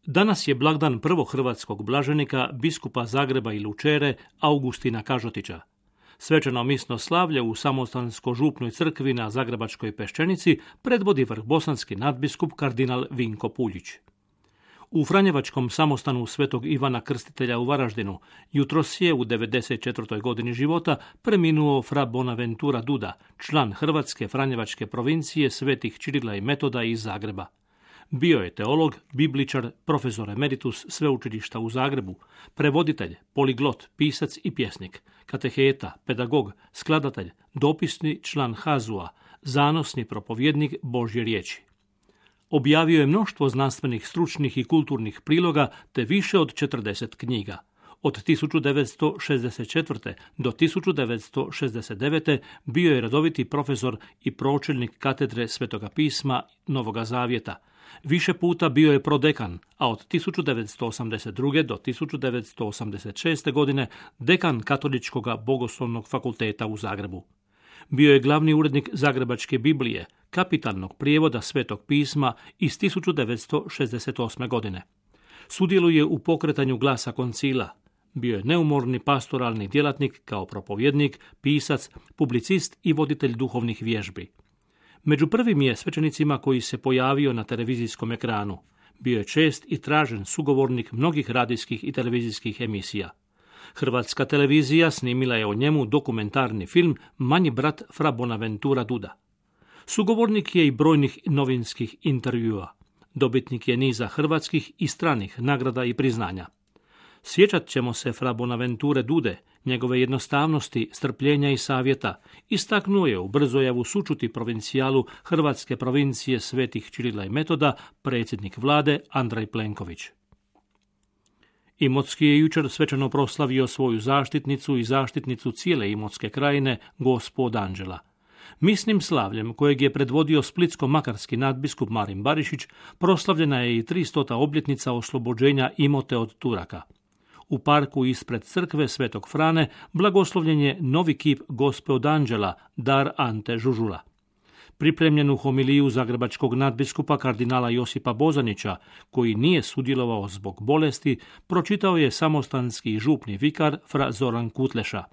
Danas je blagdan prvog hrvatskog blaženika, biskupa Zagreba i Lučere, Augustina Kažotića. Svečano misno slavlje u Samostansko-župnoj crkvi na Zagrebačkoj Peščenici predvodi vrhbosanski nadbiskup kardinal Vinko Puljić. U Franjevačkom samostanu Svetog Ivana Krstitelja u Varaždinu jutros je u 94. godini života preminuo fra Bonaventura Duda, član Hrvatske Franjevačke provincije Svetih Čirila i Metoda iz Zagreba. Bio je teolog, bibličar, profesor emeritus sveučilišta u Zagrebu, prevoditelj, poliglot, pisac i pjesnik, kateheta, pedagog, skladatelj, dopisni član Hazua, zanosni propovjednik Božje riječi. Objavio je mnoštvo znanstvenih, stručnih i kulturnih priloga te više od 40 knjiga. Od 1964. do 1969. bio je redoviti profesor i pročelnik katedre Svetoga pisma Novoga Zavjeta. Više puta bio je prodekan, a od 1982. do 1986. godine dekan Katoličkog bogoslovnog fakulteta u Zagrebu. Bio je glavni urednik Zagrebačke Biblije, kapitalnog prijevoda Svetog pisma iz 1968. godine. Sudjeluje u pokretanju Glasa koncila. Bio je neumorni pastoralni djelatnik kao propovjednik, pisac, publicist i voditelj duhovnih vježbi. Među prvim je svećenicima koji se pojavio na televizijskom ekranu. Bio je čest i tražen sugovornik mnogih radijskih i televizijskih emisija. Hrvatska televizija snimila je o njemu dokumentarni film Manji brat fra Bonaventura Duda. Sugovornik je i brojnih novinskih intervjua. Dobitnik je niza hrvatskih i stranih nagrada i priznanja. Sjećat ćemo se fra Bonaventure Dude, njegove jednostavnosti, strpljenja i savjeta. Istaknuo je u Brzojavu sučuti provincijalu Hrvatske provincije Svetih Čirila i Metoda predsjednik vlade Andrej Plenković. Imotski je jučer svečano proslavio svoju zaštitnicu i zaštitnicu cijele Imotske krajine, Gospu od Anđela. Misnim slavljem, kojeg je predvodio splitsko-makarski nadbiskup Marin Barišić, proslavljena je i 300. obljetnica oslobođenja Imote od Turaka. U parku ispred crkve Svetog Frane blagoslovljen je novi kip Gospe od Anđela, dar Ante Žužula. Pripremljenu homiliju zagrebačkog nadbiskupa kardinala Josipa Bozanića, koji nije sudjelovao zbog bolesti, pročitao je samostanski župni vikar fra Zoran Kutleša.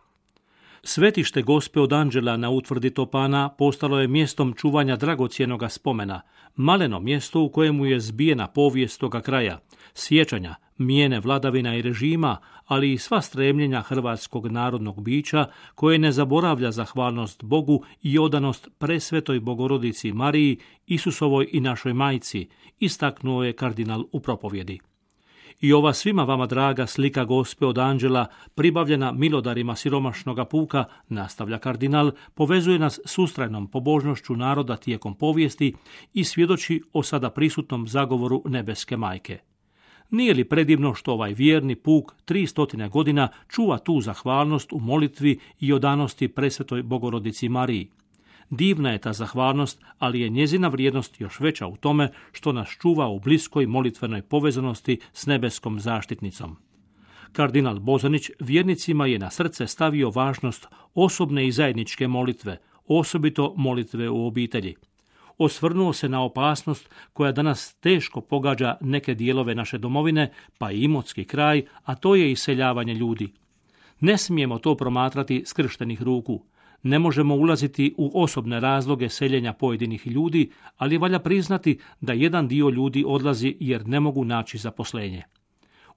Svetište Gospe od Anđela na utvrdi Topana postalo je mjestom čuvanja dragocjenoga spomena, maleno mjesto u kojemu je zbijena povijest toga kraja, sjećanja, mijene vladavina i režima, ali i sva stremljenja hrvatskog narodnog bića koje ne zaboravlja zahvalnost Bogu i odanost presvetoj Bogorodici Mariji, Isusovoj i našoj majci, istaknuo je kardinal u propovjedi. I ova svima vama draga slika Gospe od Anđela, pribavljena milodarima siromašnoga puka, nastavlja kardinal, povezuje nas s ustrajnom pobožnošću naroda tijekom povijesti i svjedoči o sada prisutnom zagovoru nebeske majke. Nije li predivno što ovaj vjerni puk 300 godina čuva tu zahvalnost u molitvi i odanosti presvetoj Bogorodici Mariji? Divna je ta zahvalnost, ali je njezina vrijednost još veća u tome što nas čuva u bliskoj molitvenoj povezanosti s nebeskom zaštitnicom. Kardinal Bozanić vjernicima je na srce stavio važnost osobne i zajedničke molitve, osobito molitve u obitelji. Osvrnuo se na opasnost koja danas teško pogađa neke dijelove naše domovine, pa i Imotski kraj, a to je iseljavanje ljudi. Ne smijemo to promatrati skrštenih ruku. Ne možemo ulaziti u osobne razloge seljenja pojedinih ljudi, ali valja priznati da jedan dio ljudi odlazi jer ne mogu naći zaposlenje.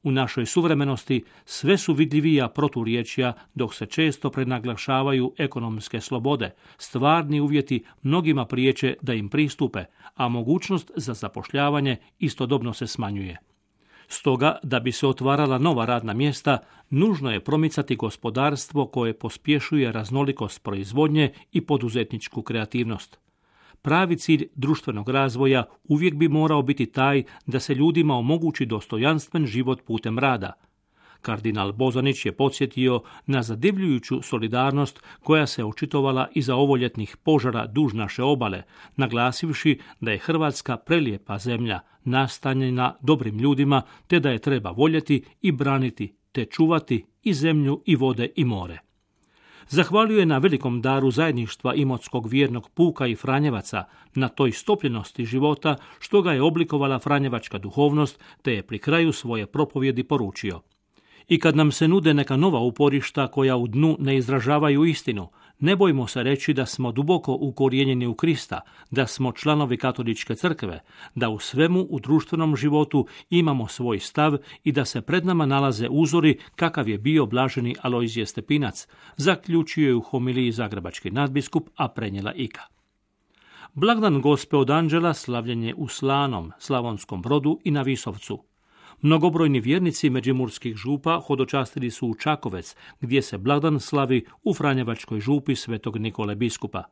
U našoj suvremenosti sve su vidljivija proturječja, dok se često prenaglašavaju ekonomske slobode, stvarni uvjeti mnogima priječe da im pristupe, a mogućnost za zapošljavanje istodobno se smanjuje. Stoga, da bi se otvarala nova radna mjesta, nužno je promicati gospodarstvo koje pospješuje raznolikost proizvodnje i poduzetničku kreativnost. Pravi cilj društvenog razvoja uvijek bi morao biti taj da se ljudima omogući dostojanstven život putem rada. Kardinal Bozanić je podsjetio na zadivljujuću solidarnost koja se očitovala iza ovoljetnih požara duž naše obale, naglasivši da je Hrvatska prelijepa zemlja, nastanjena dobrim ljudima, te da je treba voljeti i braniti, te čuvati i zemlju i vode i more. Zahvalio je na velikom daru zajedništva imotskog vjernog puka i franjevaca, na toj stopljenosti života što ga je oblikovala franjevačka duhovnost, te je pri kraju svoje propovjedi poručio: I kad nam se nude neka nova uporišta koja u dnu ne izražavaju istinu, ne bojmo se reći da smo duboko ukorijenjeni u Krista, da smo članovi katoličke crkve, da u svemu u društvenom životu imamo svoj stav i da se pred nama nalaze uzori kakav je bio blaženi Alojzije Stepinac, zaključio je u homiliji zagrebački nadbiskup, a prenijela Ika. Blagdan Gospe od Anđela slavljen je u Slanom, Slavonskom Brodu i na Visovcu. Mnogobrojni vjernici međimurskih župa hodočastili su u Čakovec, gdje se blagdan slavi u franjevačkoj župi svetog Nikole biskupa.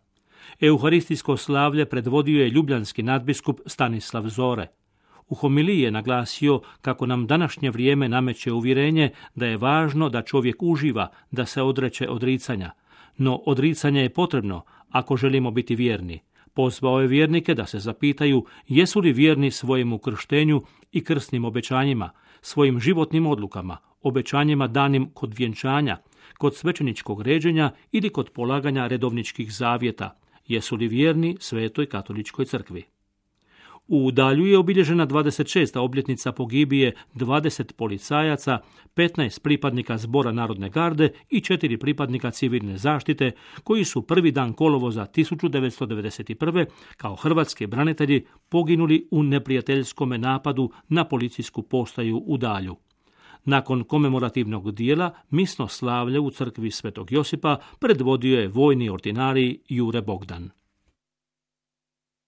Euharistijsko slavlje predvodio je ljubljanski nadbiskup Stanislav Zore. U homiliji je naglasio kako nam današnje vrijeme nameće uvjerenje da je važno da čovjek uživa, da se odreče odricanja. No odricanje je potrebno ako želimo biti vjerni. Pozvao je vjernike da se zapitaju jesu li vjerni svojemu krštenju i krsnim obećanjima, svojim životnim odlukama, obećanjima danim kod vjenčanja, kod svećeničkog ređenja ili kod polaganja redovničkih zavjeta, jesu li vjerni Svetoj katoličkoj crkvi. U Udalju je obilježena 26. obljetnica pogibije 20 policajaca, 15 pripadnika Zbora narodne garde i 4 pripadnika civilne zaštite, koji su prvi dan kolovoza 1991. kao hrvatski branitelji poginuli u neprijateljskom napadu na policijsku postaju u Udalju. Nakon komemorativnog dijela, misno slavlje u crkvi Svetog Josipa predvodio je vojni ordinarij Jure Bogdan.